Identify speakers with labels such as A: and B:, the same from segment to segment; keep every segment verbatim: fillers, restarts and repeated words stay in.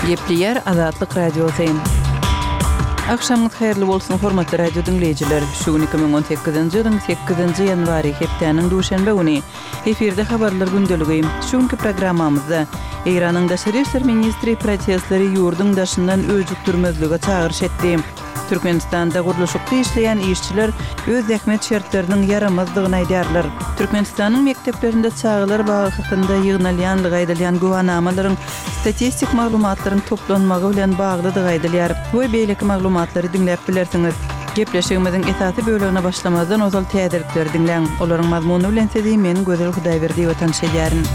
A: Gepleýär Azatlyk Radiosy. Agşamyňyz haýyrly bolsun, hormatly radio diňleýjiler. Şu gün iki müň on sekizinji ýylyň sekizinji ýanwary, hepdäniň duşenbe güni. Efirde habarlar gündeligi. Şu günki programmamyzda Eýranyň daşary işler ministri protestleri ýurduň daşyndan öjükdirmezlige çagyryş etdi. Türkmenistanda gurluşykda işleýän işçiler öz zähmet şertleriniň ýaramazdygyny aýdýarlar. Türkmenistanyň mekdeplerinde çagalar bagy hakynda ýygnalýandygy aýdylýan güwanamalaryň statistik maglumatlaryň toplanmagy bilen baglydygy aýdylýar we beýleki maglumatlary diňläp bilersiňiz. Gepleşigimiziň esasy bölegine başlamazdan ozal täzelikleri diňläň. Olaryň mazmuny bilen sizi men Gözel Hudaýberdiýewa tanyş edýärin.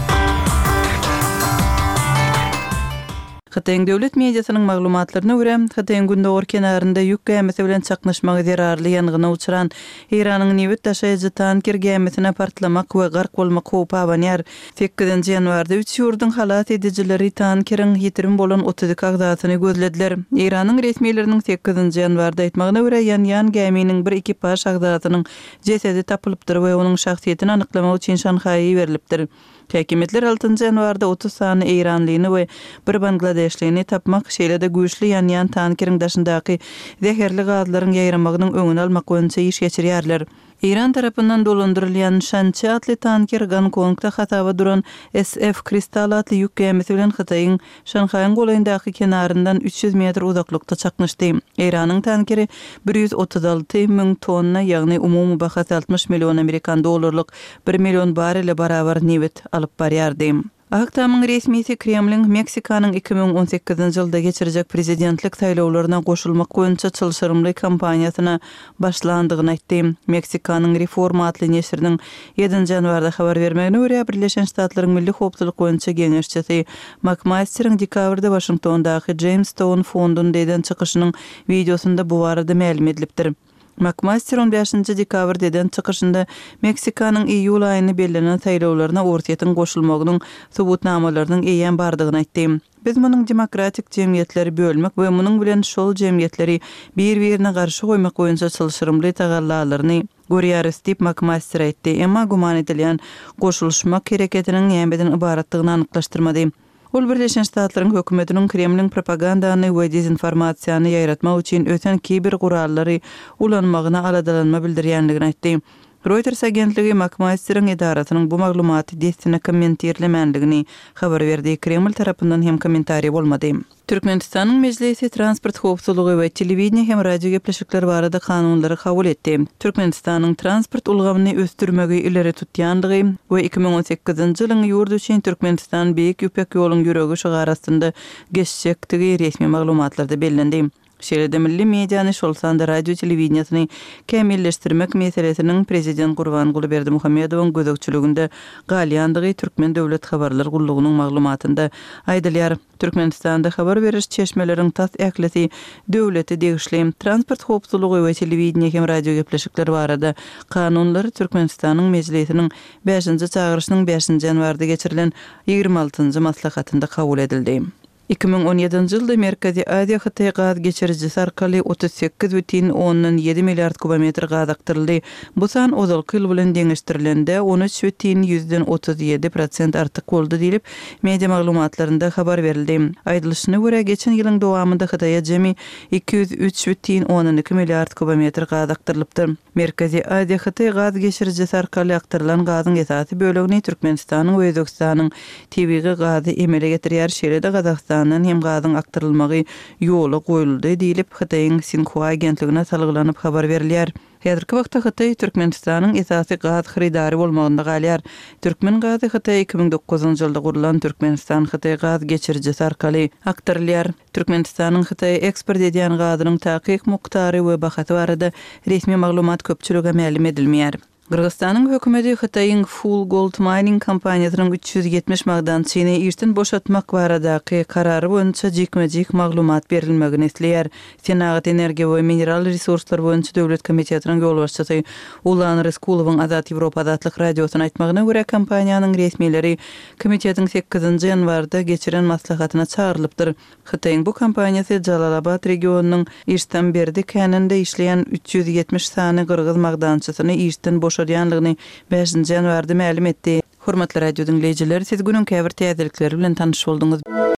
A: Hytaýyň döwlet mediasynyň maglumatlaryna görä, Hytaýyň gündogar kenarynda ýük gämisi bilen çaknyşmagy zerarly ýangyna uçran Eýranyň nebit daşaýjy tanker gämisine partlamak we gark bolmak howpy abanýar. Sekizinji ýanwarda üç ýurduň halas edijileri tankeriň ýitirim bolan otuz iki agzasyny gözlediler. Eýranyň resmileriniň sekizinji ýanwarda aýtmagyna görä, ýanýan gäminiň bir ekipaž agzasynyň jesedi tapylypdyr we onuň şahsyýetini anyklamak üçin Şanhaýa iberilipdir. Häkimiýetler altynjy ýanwarda otuz sany eýranlyny we bir bangladeşlini tapmak, şeýle-de güýçli ýanýan tankeriň daşyndaky zäherli gazlaryň ýaýramagynyň öňüni almak boýunça iş geçirýärler. Eýran tarapyndan dolandyrylýan Şançi atly tanker Gonkongda hasaba duran S F Kristal atly ýük gämisi bilen Hytaýyň Şanhaýyň golaýyndaky kenaryndan üç ýüz metr uzaklykda çaknyşdy. Eýranyň tankeri bir ýüz otuz alty müň tonna, ýagny umumy bahasy altmyş million amerikan dollarlyk bir million barrele barabar nebit alyp barýardy. Ak Tamyň resmisi Kremliň Meksikanyň iki müň on sekizinji ýylda geçirjek prezidentlik saýlawlaryna goşulmak boýunça çylşyrymly kampaniýasyna başlandygyny aýtdy. Meksikanyň Reforma atly neşiriniň ýedinji ýanwarda habar bermegine görä, Birleşen Ştatlaryň Milli howpsuzlyk boýunça geňeşçisi MakMasteriň dekabrda Waşingtondaky Jamestown fondunda eden çykyşynyň wideosynda bu barada mälim edilipdir. MakMaster on bäşinji dekabrda eden çykyşynda Meksikanyň iýul aýynda bellenen saýlawlaryna Orsýetiň goşulmagynyň subutnamalarynyň eýýäm bardygyny aýtdy. Biz munuň demokratik jemgyýetleri bölmek we munuň bilen şol jemgyýetleri bir-birine garşy goýmak boýunça çylşyrymly tagallalaryny görýäris diýip MakMaster aýtdy. Emma güman edilýän goşulyşmak hereketiniň nämeden ybaratdygyny anyklaşdyrmady. Ol Birleşen Ştatlaryň hökümetiniň Kremliň propagandany we dezinformasiýany ýaýratmak üçin ösen kiber gurallary ulanmagyna aladalanma bildirýänligini aýtdy. Reuters agentligi MakMasteriň edarasynyň bu maglumaty dessine kommentirlemänligini habar berdi. Kreml tarapyndan hem kommentariý bolmady. Türkmenistanyň Mejlisi transport howpsuzlygy we telewideniýe hem radio gepleşikleri barada kanunlary kabul etdi. Türkmenistanyň transport ulgamyny ösdürmegi ileri tutýandygy we iki müň on sekizinji ýylyň ýurt üçin Türkmenistan Beýik Ýüpek ýoluň ýüregi şygary astynda geçjekdigi resmi maglumatlarda bellendi. Şeýle-de milli mediany, şol sanda radio telewideniýesini kämilleşdirmek meselesiniň Prezident Gurbanguly Berdimuhamedowyň gözegçiliginde galýandygy Türkmen döwlet habarlar gullugynyň maglumatynda aýdylýar. Türkmenistanda habar beriş çeşmeleriň tas ählisi döwlete degişli. Transport howpsuzlygy we telewideniýe hem radio gepleşikleri barada kanunlar Türkmenistanyň Mejlisiniň bäşinji çagyryşynyň bäşinji ýanwarda geçirilen ýigrimi altynjy maslahatynda kabul edildi. Iki müň on ýedinji ýylda Merkezi Aziýa Hytaý gaz geçirijisi arkaly otuz sekiz bütin ondan ýedi milliard kubometr gaz akdyryldy. Bu san ozalky ýyl bilen deňeşdirilende on üç bütin ýüzden otuz ýedi prosent artyk boldy diýlip, media maglumatlarynda habar berildi. Aýdylyşyna görä, geçen ýylyň dowamynda Hytaýa jemi iki ýüz üç bütin ondan iki milliard kubometr gaz akdyrylypdyr. Merkezi Aziýa Hytaý gaz geçirijisi arkaly akdyrylan gazyň esasy bölegini Türkmenistanyň we Özbegistanyň tebigy gazy emele getirýär, şeýle-de Gazagystandan hem gazyň akdyrylmagy ýola goýuldy diýlip, Hytaýyň Sinhua agentligine salgylanyp habar berilýär. Häzirki wagtda Hytaý Türkmenistanyň esasy gaz hyrydary bolmagynda galýar. Türkmen gazy Hytaý iki müň dokuzynjy ýylda gurlan Türkmenistan-Hytaý gaz geçirijisi arkaly akdyrylýar. Türkmenistanyň Hytaýa eksport edýän gazynyň takyk mukdary we bahasy barada resmi maglumat köpçülige mälim edilmeýär. Gyrgyzystanyň hökümeti Hytaýyň Full Gold Mining kompaniýasynyň üç ýüz ýetmiş magdançyny işden boşatmak baradaky karary boýunça jikme-jik maglumat berilmegini isleýär. Senagat, energiýa we mineral resurslar boýunça döwlet komitetiniň ýolbaşçysy Ulan Ryskulowyň Azat Ýewropa Azatlyk Radiosyna aýtmagyna görä, kompaniýanyň resmileri komitetiň sekizinji ýanwarda geçiren maslahatyna çagyrylypdyr. Hytaýyň bu kompaniýasy Jalalabad regionynyň Iştamberdi käninde işleýän üç ýüz ýetmiş sany gyrgyz magdançysyny işden boşadýanlygyny bäşinji ýanwarda mälim etdi. Hormatly radio diňleýjiler, siz günüň käbir täzelikleri bilen tanyş bolduňyz.